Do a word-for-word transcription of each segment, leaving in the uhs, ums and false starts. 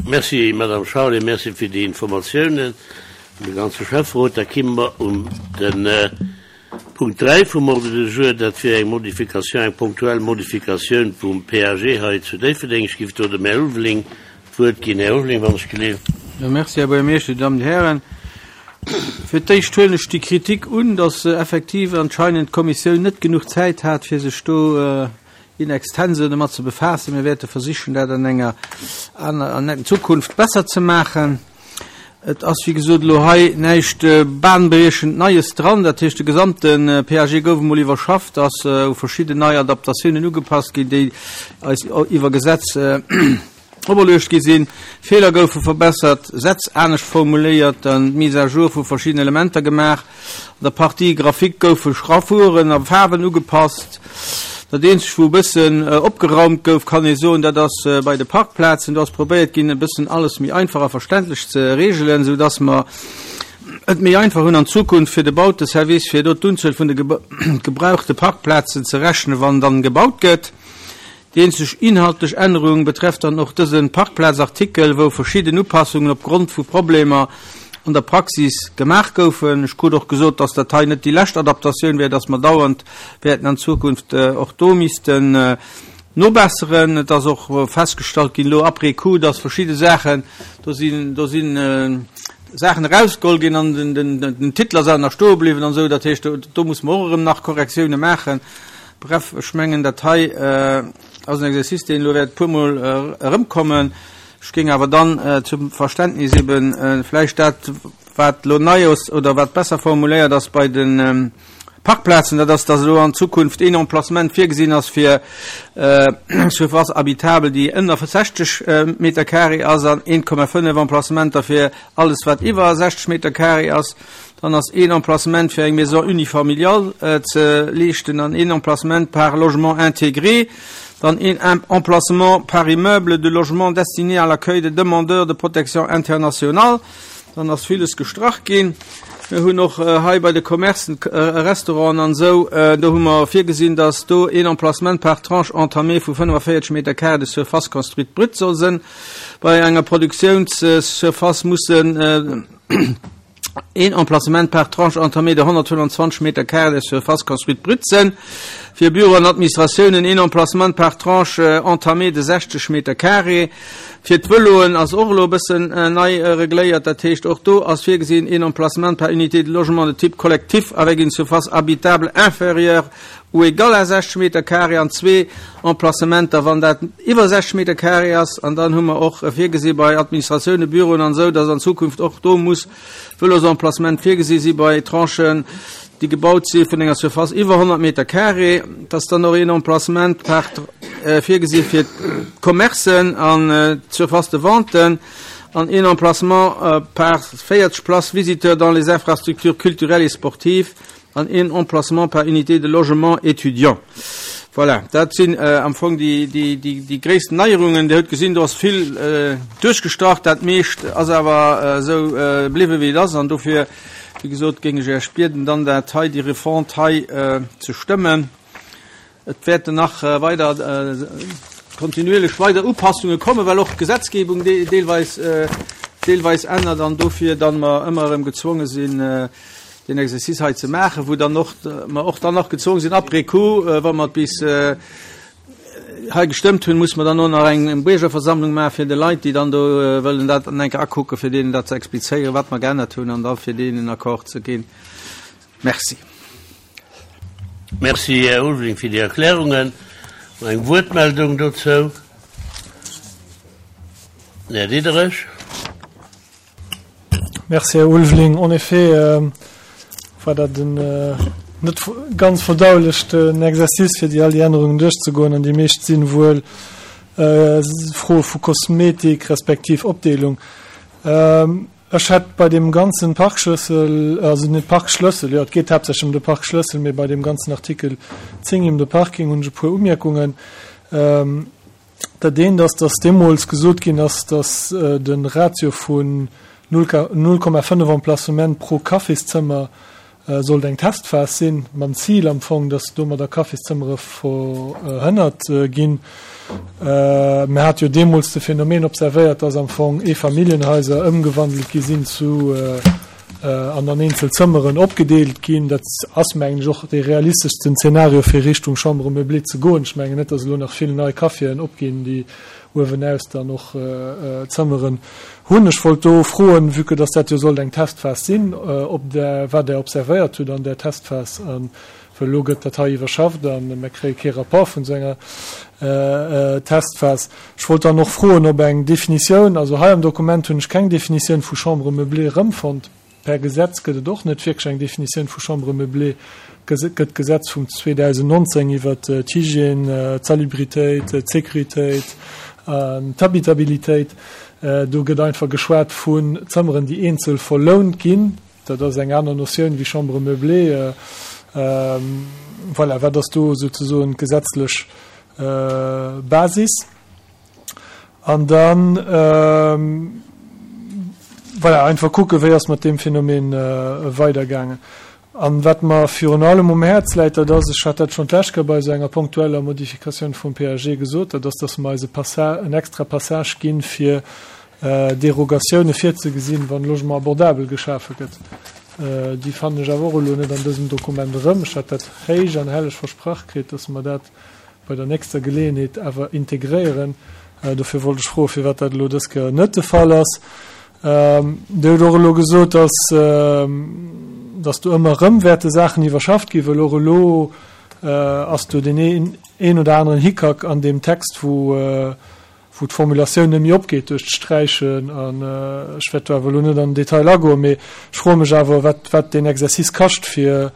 Merci, Madame Charlé, merci fir déi Informatiounen un de ganze Schäfferot. Da kimme mer un de Punkt dräi vum Ordre du jour, dat wier eng Modifikatioun, eng punktuell Modifikatioun vum P A G hei zu Déifferdeng. Ech géif do dem Här Ulveling d'Wuert ginn. Här Ulveling, wann ech geleeft. Jo, merci, Här Buergermeeschter, Dir Dammen, Dir Hären. Fir d'éischt huelen ech déi Kritik un, dass effektiv anscheinend d'Kommissioun net genuch Zäit hat, fir sech do in extenso domat ze befaassen. Mir wäerte versichen, dat an enger an enger Zukunft besser ze maachen. Et ass, wéi gesot, elo hei näischt bahnbrechend Neies dran. Dat heescht, de gesamte P A G gouf emol iwwerschafft, ass u verschidden nei Adaptatiounen ugepasst ginn, déi eis iwwer Gesetz operluecht gi sinn. Feeler goufe verbessert, Sätz anescht formuléiert, dann d'Mise à jour vu verschiddenen Elementer gemaach. An der Partie Grafik goufe Schraffuren a Faarwen ugepasst. Dat eenzegt, wou e bëssen opgeraumt gouf, kann ee soen, dat ass bei de Parkplazen. Do ass probéiert ginn, e bëssen alles méi einfach a verständlech ze reegelen, sou dass mer et méi einfach hunn an Zukunft fir de Bauteservice, fir do d'Unzuel vun de gebrauchte Parkplazen ze rechnen, wann dann gebaut gëtt. Déi eenzeg inhaltlech Ännerung betrefft dann och dëse Parkplazartikel, wou verschidden Upassungen opgrond vu Problemer an der Praxis gemaach goufen. Ech krut och gesot, dass dat hei net déi lescht Adaptatioun wär, dass mer dauernd wäerten an Zukunft och do missten nobesseren. Et ass och festgestallt ginn elo après coup, dass verschidde Saachen, do sinn do sinn Saachen erausgeholl ginn an den, den, den Titel ass awer nach stoe bliwwen an esou. Dat heescht, do, do muss mer och erëm nach Korrektioune maachen. Bref, ech mengen, dat hei ass en Exercice, deen elo wäert e puermol erëmkommen. Ech géing awer dann zum Verständnis eben vläicht dat, wat elo nei ass oder wat besser formuléiert ass bei de Parkplazen, dat ass, dass elo an Zukunft een Emplacement virgesinn ass fir eng Surface habitable, déi ënner sechzeg Meter carré ass, an een Komma fënnef Emplacementer fir alles, wat iwwer sechzeg Meter carré ass. Dann ass een Emplacement fir eng Maison unifamiliale ze leeschten an een Emplacement par logement intégré. Dann een Emplacement par immeuble de logement destiné à l'accueil de demandeurs de protection internationale. Dann ass villes gestrach ginn. Mir hunn och hei bei de Commercen, Restauranten an esou, do hu mer virgesinn, dass do een Emplacement par tranche entamée vu fënnefavéierzeg Meter carré de surface construite brute soll sinn. Bei enger Produktiounssurface mussen een Emplacement par tranche entamée de honnertfënnfanzwanzeg Meter carré de surface construite brute sinn. Fir Büro an Administratiounen een Emplacement par tranche entamée de sechzeg Meter carré. Fir d'Vëloen ass och elo e bëssen nei regléiert, dat heescht, och do ass virgesinn een Emplacement par unité de logement de type collectif avec une surface habitable inférieure ou égale à sechzeg Meter carré an zwee Emplacementer, wann dat iwwer sechzeg Meter carré ass. An dann hu mer och virgesi bei Administratioune, Büroen an esou, dass an Zukunft och do muss Vëlosemplacement virgesi si bei Tranchen, déi gebaut si vun enger Surface iwwer honnert Meter carré, dass dann och een Emplacement par virgesi fir d'Commercen an d'Surface de vente an een Emplacement par véierzeg Places visiteurs dans les infrastructures culturelles et sportives an een Emplacement par unité de logement étudiant. Voilà, dat sinn am Fong déi, déi, déi, déi gréissten Neierungen. Dir hutt gesinn, do ass vill duerchgestrach, dat meescht ass awer esou bliwwen, wéi et ass. An dofir, wéi gesot, géing ech Iech bieden, dann dat hei, déi Refonte hei ze stëmmen. Et wäerten nach weider kontinuierlech weider Upassunge kommen, well och d'Gesetzgebung deelweis, deelweis ännert an dofir dann mer ëmmer erëm gezwonge sinn, den Exercice hei ze maachen, wou dann och mer och dann nach gezwongen sinn, après coup, wa mer bis hei gestëmmt hunn, muss mer dann och nach eng Biergerversammlung maachen, fir de Leit, déi dann do wëllen dat an enker akucken, fir deenen dat ze explizéieren, wat mer geännert hunn, an da fir deenen en Accord ze ginn. Merci. Merci, Här Ulveling, fir déi Erklärungen. Eng Wuertmeldung dozou? Här Diderich. Merci, Här Ulveling. En effet euh, war dat en äh, net ganz verdauleschten Exercice, fir déi all déi Ännerungen duerchzegoen, an déi meescht sinn wuel äh, Froe vu Kosmetik respektiv Opdeelung. Ähm, ech hätt bei dem ganzen Parkschlëssel, also net Parkschlëssel, jo, et geet haaptsächlech ëm de Parkschlëssel, mee bei dem ganzen Artikel zéng ëm de Parking hunn ech e puer Umierkungen. Ähm, dat eent ass, dass deemools gesot ginn ass, dass äh, de Ratio vun null Komma fënnef Emplacement pro Cafészëmmer äh, sollt eng Testphas sinn, mam Zil am Fong, dass domadder Cafészëmmere verhënnert äh, ginn. Mir hat jo deemools de Phänomen observéiert, dass am Fong Eefamilljenhaiser ëmgewandelt gi sinn zu an an eenzel Zëmmeren opgedeelt ginn. Dat ass, mengen ech, och dee realisteschsten Zeenario, fir Richtung Chambre meublée ze goen. Ech mengen net, dass elo nach vill nei Caféen opginn, déi uewenaus dann och Zëmmeren hunn. Ech wollt do froen, vue que dass dat jo sollt eng Testphas sinn, ob Der, wat Der observéiert hutt an där Testphas a well elo gëtt dat hei iwwerschafft a mir kréie kee Rapport vun esou enger Testphas. Ech wollt dann och froen, ob eng Definitioun, also hei am Dokument hunn ech keng Definitioun vu Chambre meublée erëmfonnt. Per Gesetz gëtt et och net wierklech eng Definitioun vu Chambre meublée. Gëtt d'Gesetz vum zweedausendnonzéng iwwert d'Hygiène, d'Salubritéit, d'Sécuritéit an d'Habitabilitéit. Do gëtt einfach geschwat vun Zëmmeren, déi eenzel verlount ginn. Dat ass eng aner Notioun wéi Chambre meublée. Voilà, wat ass do souzesoen d'gesetzlech Basis? An dann, voilà, einfach kucken, wéi ass mat deem Phänomen weidergaangen. An wat mer virun allem um Häerz läit, dat ass, ech hat dat schonn d'lescht Kéier bei esou enger ponktueller Modifikatioun vum P A G gesot, dat ass, dass mer eis e Passa-, en extra Passage ginn, fir Derogatioune virzegesinn, wann Logement abordabel geschafe gëtt. Déi fannen ech awer och elo net an dësem Dokument erëm. Ech hat dat héich an helleg versprach kritt, dass mer dat bei der nächster Geleeënheet awer integréieren. Dofir wollt ech froen, firwat dat elo dës Kéier net de Fall ass. Dir hutt och elo gesot, dass, dass do ëmmer erëm wäerte Saachen iwwerschafft ginn, well och elo ass do deen een oder aneren Hickhack an deem Text, wou, wou d'Formulatioun net méi opgeet duerch d'Sträichen. An ech wäert do awer elo net an den Detail agoen, mee ech froe mech awer, wat, wat deen Exercice kascht, fir,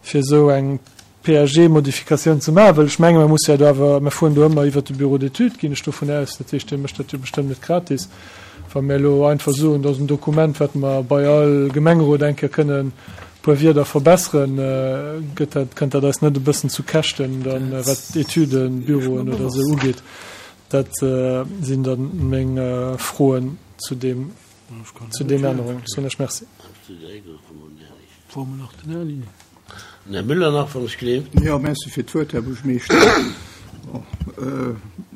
fir esou eng P A G-Modifikatioun ze maachen, well ech menge mer musse jo do awer, mer fueren do ëmmer iwwert de Bureau d'études, ginn ech dovun aus, dat heescht, dee mécht dat jo bestëmmt net gratis. Wa mir elo einfach soen, dat ass en Dokument, wat mer bei all Gemengerot eng Kéier kënnen e puer Wierder verbesseren, gëtt dat, kënnt dat eis net e bëssen zu Käschten dann, wat d'Etüden, Büroen oder esou ugeet? Dat sinn dann meng Froen zu deem, zu deem Ännerungen. Soen ech Merci. Här Müller nach, wann ech gleef. Jo, merci fir d'Wuert, Här Buergermeeschter. Bon,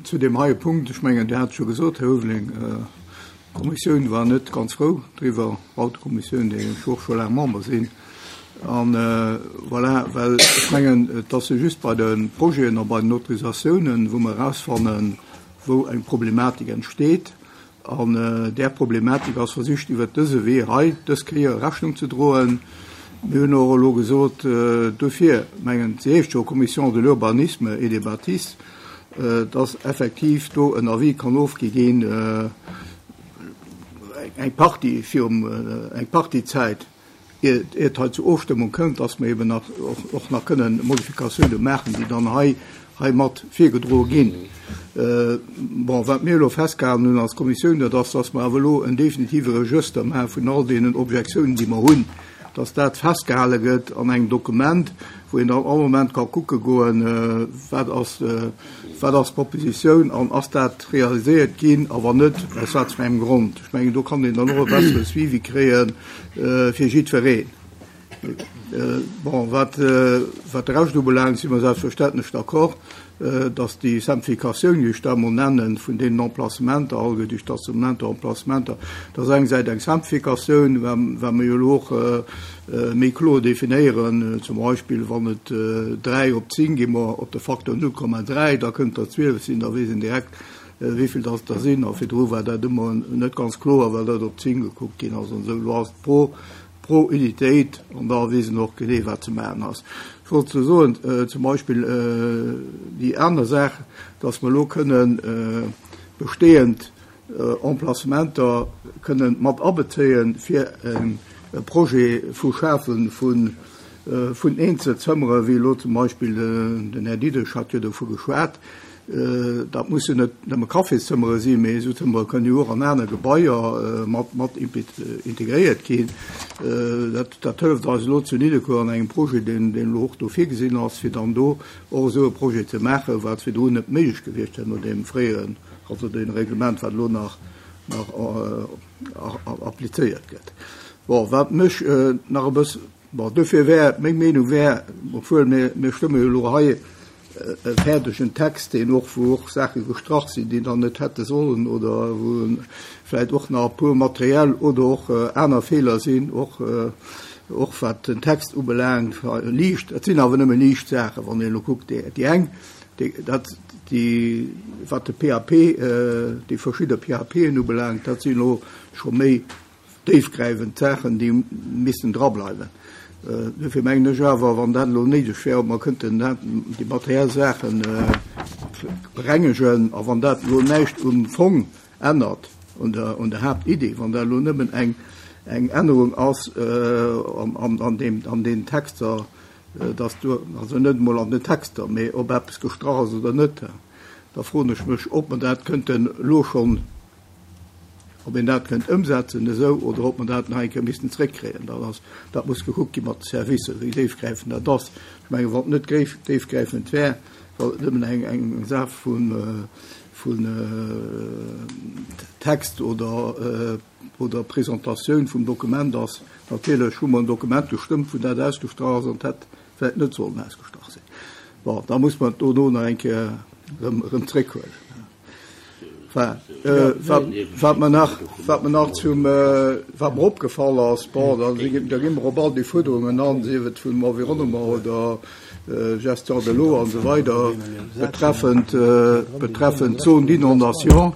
zu deem heie Punkt, ech mengen, Dir hat et scho gesot, Här Ulveling, d'Kommissioun war net ganz frou driwwer, d'Bautekommissioun, där ech och scho laang Member sinn. An voilà, well ech mengen, et ass jo just bei de Projeten a bei den Autorisatiounen, wou mer erausfannen, wou eng Problematik entsteet. An där Problematik ass versicht, iwwert dëse Wee hei dës Kéier Rechnung ze droen. Mir hunn och elo gesot, dofir mengen, se heescht jo Commission de l'urbanisme et des bâtisses, dass effektiv do en Avis kann ofgi ginn, eng Partie virum, eng Partie Zäit, ier et hei zur Ofstëmmung kënnt, dass mer eben nach och nach kënnen Modifikatiounen maachen, déi dann hei hei mat virgedroe ginn. Bon, wat mir elo festgehalen hunn als Kommissioun, dat ass, dass mer awer elo en definitive Regëster maache vun all deenen Objektiounen, déi mer hunn, dass dat festgehale gëtt an engem Dokument, wou een dann all Moment ka kucke goen, wat ass, wat ass d'Propositioun an ass dat realiséiert ginn a wann net, aus wat fir engem Grond. Ech mengen, do kann een dann och e bessere Suivi kréie fir jiddwereen. Bon, wat, wat de Rescht ubelaangt, si mer selbstverständlech d'accord, dass déi Simplificatioun, wéi ech dat emol nennen, vun deenen Emplacementer, all déi Stationnementer, Emplacementer, dat ass engersäits eng Simplificatioun, well mer jo elo och méi kloer definéieren, zum Beispill wann et dräi op zéng, gi mer op de Facteur null Komma dräi, da kënnt der zwielef sinn, da weess een direkt, wéi vill dass der sinn. A virdru war dat ëmmer net ganz kloer, well dat op zéng gekuckt ginn ass an esou. Elo ass et pro pro Unitéit an da weess een och genee, wat ze maachen ass. Ech wollt ze soen, zum Beispill déi aner Saach, dass mer elo kënnen bestehend Emplacementer kënnen mat abezéien, fir e Projet vu Schafe vun vun Eenzelzëmmere, wéi elo zum Beispill den Här Diderich hat jo dovu geschwat. Dat mussen net nëmme Cafészëmmere sinn, mee esou Zëmmere kënnen jo och an aner Gebaier mat mat integréiert ginn. Dat dat hëlleft eis elo zu Nidderkuer an engem Projet, deen deen elo och do virgesinn ass, fir dann do och esou e Projet ze maachen, wat virdrun net méiglech gewiescht wär no deem fréieren, also deem Reglement, wat elo nach nach applizéiert gëtt. Bon, wat mech nach e bëss, bon, dofir wär meng Meenung wär, obwuel mir mir stëmme jo elo hei e fäerdegen Text, deen och, wou och Saache gestrach sinn, déi dann net hätte sollen oder wou vläicht och nach e puer materiell oder och aner Feeler sinn, och, och wat den Text ubelaangt, liicht, et sinn awer nëmme liicht Saachen, wann een elo kuckt, déi, déi eng, déi, dat, déi, wat de P A P, déi verschidde P A P'en ubelaangt, dat sinn elo scho méi déifgräifend Saachen, déi missten drableiwen. Dofir mengen ech awer, wann dat elo néideg wär, ob mer kënnten dat, déi materiell Saachen berengegen, a wann dat elo näischt um Fong ännert, un der, un der Haaptidee, wann dat elo nëmmen eng, eng Ännerung ass an, an, an deem, an den Texter, dass du, also net emol an den Texter, mee ob eppes gestrach ass oder net, da froen ech mech, ob mer dat kënnten elo schonn, ob een dat kënnt ëmsetzen esou oder ob mer dat nach eng Kéier missten zréckkréien. Dat ass, dat muss gekuckt gi mat de Servicer, wéi déifgräifend dat ass. Ech mengen, wann et net gréif, déifgräifend wär, wann et nëmmen eng, eng Saach vun, vun Text oder, oder Presentatioun vum Dokument ass, natierlech hu mer en Dokument gestëmmt, wou dat ausgestrach ass an et hätt vläicht net sollen ausgestrach sinn. Bon, da muss mer et dono nach eng Kéier erëm, erëm zréckhuelen. Enfin, äh, wat, wat mer nach, wat mer nach zum, äh, wat mer opgefall ass, bon, da, da gi mer op all déi Fuerderungen an, sief et vum Environnement oder äh, Gestion de l'eau an esou weider, betreffend, äh, betreffend Zone d'inondation.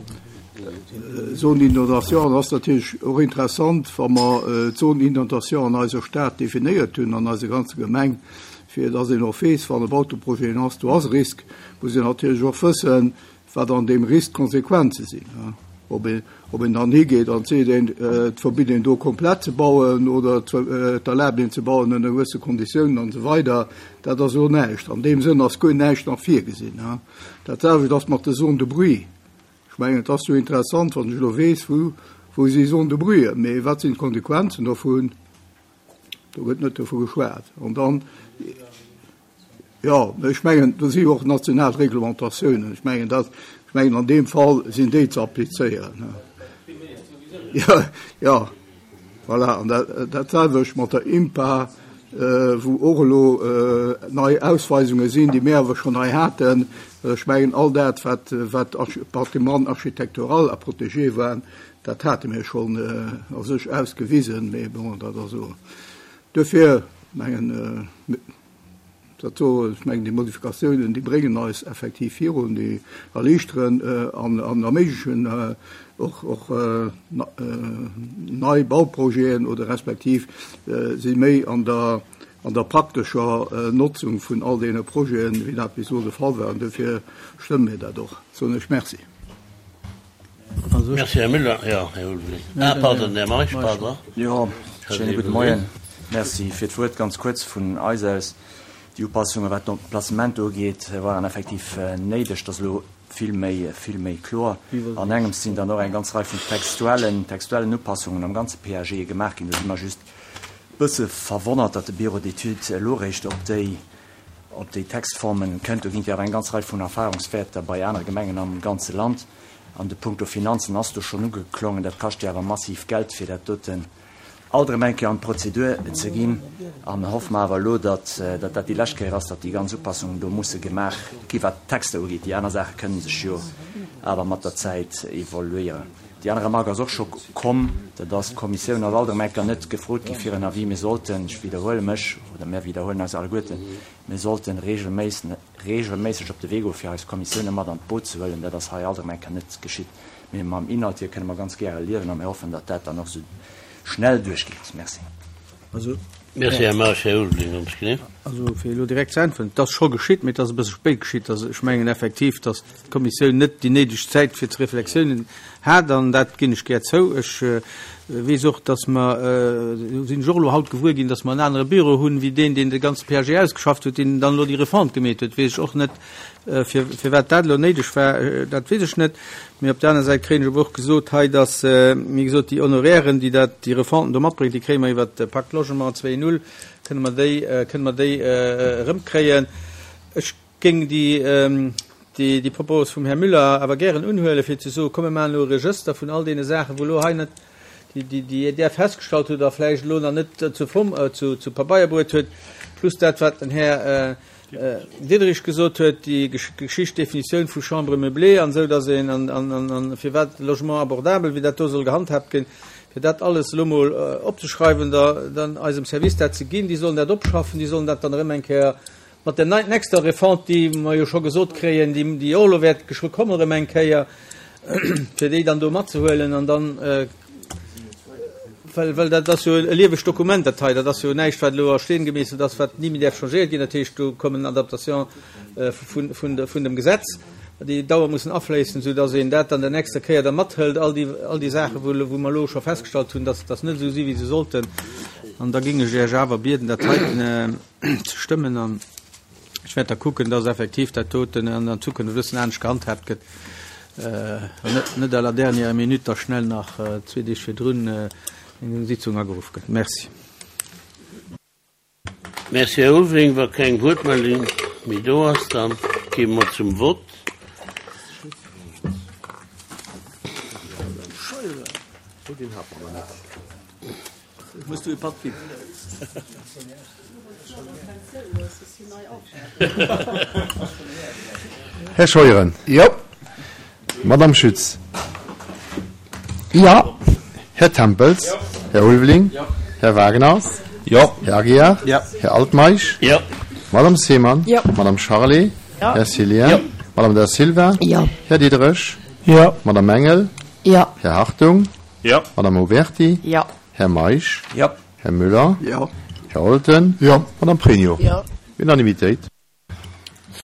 Zone d'inondation ass natierlech och interessant, wa mer äh, d'Zone d'inondation an eiser Stad definéiert hunn, an eiser ganzer Gemeng, fir dass een och weess, wann e Bauteprojet ass, do ass Risk, muss een natierlech och wëssen, wat an deem Risk Konsequenze sinn. Ob een, ob een dann higeet an seet, een, et verbitt een do komplett ze bauen oder et erlaabt een ze bauen ënner gewësse Konditiounen an esou weider, dat ass elo näischt. An deem Sënn ass guer näischt nach virgesinn. Dat selwecht ass mat de Zone de bruit. Ech mengen, et ass jo interessant, wann ech elo weess, wou, wou si Zone de bruit, mee wat sinn d'Konsequenzen dovun? Do gëtt net dovu geschwat. An dann, jo, ech mengen, do si jo och national Reglementatiounen. Ech mengen, dat, ech mengen, an deem Fall sinn déi ze applizéieren. Jo, jo, voilà. An dat, dat selwecht mat der INPA, wou och elo nei Ausweisunge sinn, déi mir awer schonn hei haten. Ech mengen, all dat, wat, wat Patrimoine architectural a protégé war, dat hate mir schonn a sech ausgewisen, mee bon, dat ass esou. Dofir mengen, dat do, ech mengen, déi Modifikatiounen, déi bréngen eis effektiv virun, déi erliichteren an, an erméiglechen och, och nei Bauprojeten oder respektiv si méi an der, an der praktescher Notzung vun all deene Projeten, wéi dat bis elo de Fall war. An dofir stëmme mir dat och. Soen ech Merci. Merci, Här Müller. Jo, Här Ulveling. Ah, pardon, Här Meisch, pardon. Jo, schéine gudde Moien. Merci fir d'Wuert. Ganz kuerz vun eis aus. Déi Upassunge wat d'Emplacement ugeet, waren effektiv néideg. Dat ass elo vill méi, vill méi kloer. An engems sinn dann och eng ganz Rei vun textuellen, textuellen Upassungen am ganze P A G gemaach ginn. Do si mer just bësse verwonnert, datt de Bureau d'études elo réischt op déi, op déi Textformen kënnt. Do ginn et jo awer eng ganz Rei vun Erfahrungswäerter bei anere Gemengen am ganze Land. An de Punkto Finanzen ass do schonn ugeklongen. Dat kascht jo awer massiv Geld, fir dat doten alt erëm eng Kéier an d'Prozedur ze ginn. An hoffe mer awer elo, datt, datt dat déi lescht Kéier ass, datt déi ganz Upassungen do musse gemaach gi wat d'Texter ugeet. Déi aner Saache kënne sech jo awer mat der Zäit evoluéieren. Déi aner Remarque ass och scho komm, dat ass, d'Kommissioun ass alt erëm eng Kéier net gefrot gi fir en Avis. Mir sollten, ech widderhuele mech, oder mir widderhuelen eis alleguerten, mir sollten regelméisseg op de Wee goen, fir eis Kommissioune mat an d'Boot ze huelen. Dat ass hei alt erëm eng Kéier net geschitt. Mee mam Inhalt hier kënne mer ganz gäre liewen a mir hoffen, datt dat dann och esou schnell duerchgeet. Merci. Also, Merci, Här Meisch. Här Ulveling, ums Knie. Also fir elo direkt ze äntweren, et ass scho geschitt, mee et ass e bësse spéit geschitt. Also ech mengen effektiv, datt d'Kommissioun net déi néideg Zäit fir d'Reflexiounen hat, an dat ginn ech gär zou. Ech weess och, datt mer, do sinn ech och elo haut gewuer ginn, datt mer en anere Büro hunn, wéi deen, deen de ganze P A G ausgeschafft huet, deen dann elo déi Refonte gemeet huet. Weess ech och net, fir, firwat dat elo néideg war, dat weess ech net. Mee op der aner Säit kréien ech awer och gesot hei, datt, wéi gesot, déi Honorairen, déi dat, déi Refonten do matbréngt, déi kréie mer iwwert de Pacte Logement zwee Punkt null, kënne mer déi, kënne mer déi erëmkréien. Ech géing déi, déi, déi Propos vum Här Müller awer gären unhuelen, fir ze soen, komm mir maachen elo e Regëster vun all deene Saachen, wou elo hei net, déi, déi, déi Der festgestallt hutt a vläicht elo nach net zu Form, zu, zu Pabeier bruet huet, plus dat, wat den Här Diderich gesot huet, déi Geschicht Definitioun vu Chambre meublée an esou, dass een an, an, an, an firwat Logement abordable, wéi dat do soll gehandhaabt ginn, fir dat alles elo mol opzeschreiwen, da, dann eisem Service dat ze ginn, déi sollen dat opschaffen, déi sollen dat dann erëm eng Kéier mat der nächster Refonte, déi mer jo scho gesot kréien, déi, déi och elo wäert geschwë kommen erëm eng Kéier, fir déi dann do matzehuelen an dann, well, well dat ass jo e liewegt Dokument, dat hei, dat ass jo näischt, wat elo a Steen gemeesselt ass, wat ni méi däerf changéiert ginn. Dat heescht, do kommen Adaptation vun, vun, vun dem Gesetz, déi dauer mussen afléissen, soudass een dat dann der nächster Kéier da mathëlt, all déi, all déi Saachen, wou, wou mer elo scho festgestallt hunn, dass dass net esou si wéi se sollten. An da géing ech Iech awer bieden, dat heiten ze stëmmen. An ech wäert da kucken, dass effektiv dat doten an der Zukunft e bëssen anescht gehandhaabt gëtt, an net, net à la dernière minute da schnell nach zwee Deeg virdrun eng Sitzung ageruff gëtt. Merci. Merci, Här Ulveling. Wa keng Wuertmeldung méi do ass, da gi mer zum Vott. Här Scheuren. Jo. Madame Schütz. Jo. Här Tempels. Jo. Här Ulveling. Jo. Här Wagner. Jo. Här Aguiar. Jo. Här Altmeisch. Jo. Madame Seemann. Jo. Madame Charlé. Jo. Här Cillien. Jo. Madame Da Silva. Jo. Här Diderich. Jo. Madame Engel. Jo. Här Hartung. Jo. Madame Oberti. Jo. Här Meisch. Jo. Här Müller. Jo. Här Olten. Jo. Madame Pregno. Jo. Unanimitéit.